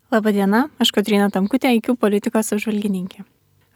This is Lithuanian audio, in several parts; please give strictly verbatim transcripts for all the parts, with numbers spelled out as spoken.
Labadiena, aš Kotryna Tamkutė, I Q politikos apžvalgininkė.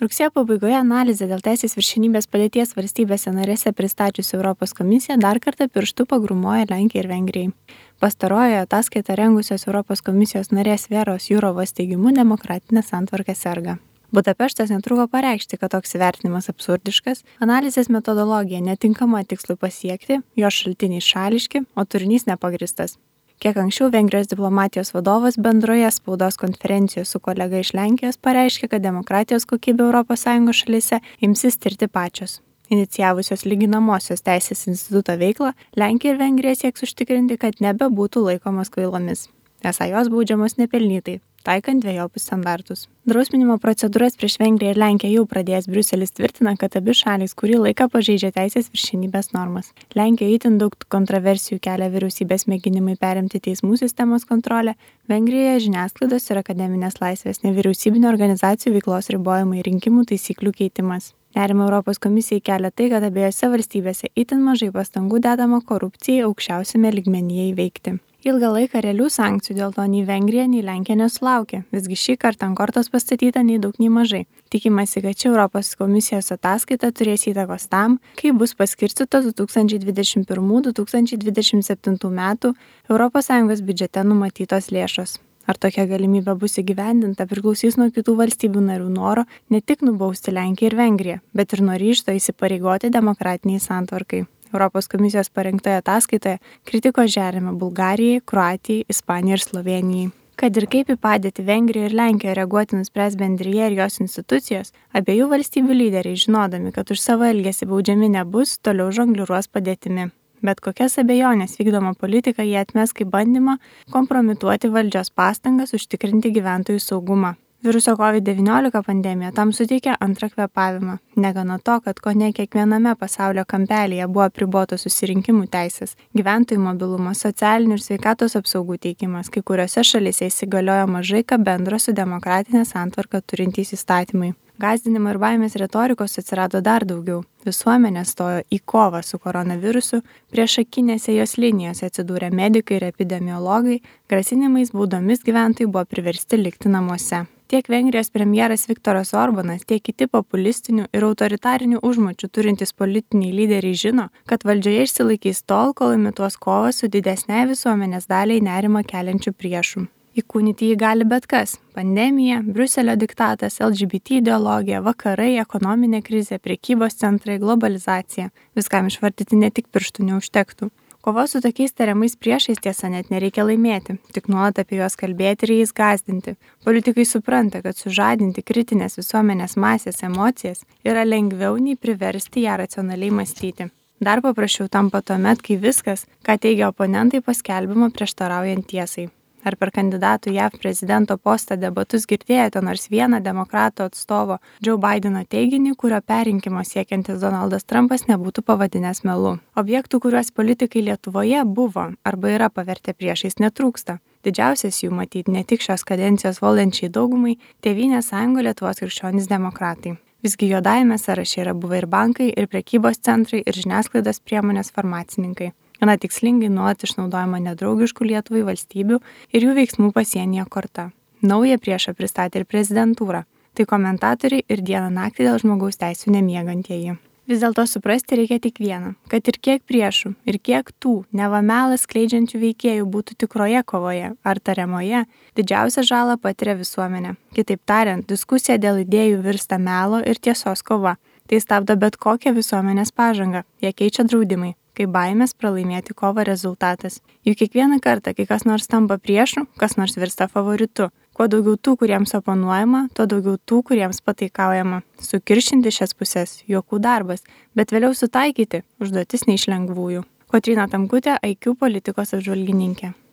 Rugsėjo pabaigoje analizę dėl teisės viršenybės padėties valstybėse narėse pristačiusi Europos komisija dar kartą pirštu pagrumoja Lenkijai ir Vengrijai. Pastarojoje ataskaitą rengusios Europos komisijos narės Veros Jurovos teigimu demokratinė santvarka serga. Budapeštas netruko pareikšti, kad toks įvertinimas absurdiškas, analizės metodologija netinkama tikslui pasiekti, jos šaltiniai šališki, o turinys nepagristas. Kiek anksčiau Vengrijos diplomatijos vadovas bendroje spaudos konferencijoje su kolega iš Lenkijos pareiškė, kad demokratijos kokybė Europos Sąjungos šalyse imsis tirti pačios. Inicijavusios lyginamosios teisės instituto veiklą, Lenkija ir Vengrija sieks užtikrinti, kad nebebūtų laikomos kvailomis. Esą jos baudžiamos nepelnytai, taikant dvejopus standartus. Drausminimo procedūras prieš Vengriją ir Lenkiją jau pradėjęs Briuselis tvirtina, kad abi šalys kurį laiką pažeidžia teisės viršenybės normas. Lenkijoje itin daug kontroversijų kelia vyriausybės mėginimai perimti teismų sistemos kontrolę, Vengrijoje žiniasklaidos ir akademinės laisvės, nevyriausybinio organizacijų veiklos ribojimai, rinkimų taisyklių keitimas. Nerima Europos komisijai kelia tai, kad abiejose valstybėse itin mažai pastangų dedama korupcijai aukščiausiame lygmenyje įveikti. Ilgą laiką realių sankcijų dėl to nei Vengrija, nei Lenkija nesulaukė. Visgi šį kartą ant kortos pastatyta nei daug, nei mažai. Tikimasi, kad ši Europos komisijos ataskaita turės įtakos tam, kaip bus paskirstytos du tūkstančiai dvidešimt pirmų - du tūkstančiai dvidešimt septintų metų Europos Sąjungos biudžete numatytos lėšos. Ar tokia galimybė bus įgyvendinta priklausys nuo kitų valstybių narių noro ne tik nubausti Lenkiją ir Vengriją, bet ir nuo ryžto įsipareigoti demokratiniai santvarkai. Europos komisijos parengtoje ataskaitoje kritikos žerėme Bulgarijai, Kroatijai, Ispanijai ir Slovėnijai. Kad ir kaip į padėtį Vengrijoje ir Lenkijoje reaguoti nuspręs bendrija ir jos institucijos, abiejų valstybių lyderiai, žinodami, kad už savo elgesį baudžiami nebus, toliau žongliruos padėtimi. Bet kokias abejonės vykdoma politika jie atmes kaip bandymą kompromituoti valdžios pastangas užtikrinti gyventojų saugumą. Viruso COVID devyniolika pandemija tam suteikė antrą kvėpavimą. Negana to, kad kone kiekviename pasaulio kampelyje buvo apribotos susirinkimų teisės, gyventojų mobilumas, socialinių ir sveikatos apsaugų teikimas, kai kuriuose šalyse įsigaliojo mažai ką bendro su demokratinė santvarka turintys įstatymai. Gąsdinimo ir baimės retorikos atsirado dar daugiau. Visuomenė stojo į kovą su koronavirusu, priešakinėse jos linijose atsidūrė medikai ir epidemiologai, grasinimais baudomis gyventojai buvo priversti likti namuose. Tiek Vengrijos premjeras Viktoras Orbanas, tiek kiti populistinių ir autoritarinių užmačių turintys politiniai lyderiai žino, kad valdžioje išsilaikys tol, kol imituos kovą su didesnei visuomenės daliai nerimą keliančių priešų. Įkūnyti jį gali bet kas – pandemija, Briuselio diktatas, L G B T ideologija, vakarai, ekonominė krizė, prekybos centrai, globalizacija. Viskam išvardyti ne tik pirštų neužtektų. Kovos su tokiais tariamais priešais tiesa net nereikia laimėti, tik nuolat apie juos kalbėti ir jais gąsdinti. Politikai supranta, kad sužadinti kritinės visuomenės masės emocijas yra lengviau nei priversti ją racionaliai mąstyti. Dar paprasčiau tampa tuomet, kai viskas, ką teigia oponentai, paskelbima prieštaraujant tiesai. Ar per kandidatų J A V prezidento postą debatus girdėjote nors vieną demokratų atstovo Joe Bideno teiginį, kurio perrinkimo siekiantis Donaldas Trumpas nebūtų pavadinęs melu? Objektų, kuriuos politikai Lietuvoje buvo arba yra pavertę priešais, netrūksta. Didžiausias jų matyti ne tik šios kadencijos valdančiai daugumai Tėvynės sąjunga Lietuvos krikščionys demokratai. Visgi juodajame sąraše yra buvę ir bankai, ir prekybos centrai, ir žiniasklaidos priemonės farmacininkai. Gana tikslingai nuolat išnaudojama nedraugiškų Lietuvai valstybių ir jų veiksmų pasienyje korta. Naują priešą pristatė ir prezidentūra. Tai komentatoriai ir dieną naktį dėl žmogaus teisių nemiegantieji. Vis dėlto suprasti reikia tik vieną, kad ir kiek priešų, ir kiek tų neva melą skleidžiančių veikėjų būtų tikroje kovoje ar tariamoje, didžiausią žalą patiria visuomenė. Kitaip tariant, diskusija dėl idėjų virsta melo ir tiesos kova. Tai stabdo bet kokią visuomenės pažangą, ją keičia draudimai, kai baimės pralaimėti kovą rezultatas. Juk kiekvieną kartą, kai kas nors tampa priešu, kas nors virsta favoritu. Kuo daugiau tų, kuriems oponuojama, tuo daugiau tų, kuriems pataikaujama. Sukiršinti šias pusės – juokų darbas, bet vėliau sutaikyti – užduotis ne iš lengvųjų. Kotryna Tamkutė, I Q politikos apžvalgininkė.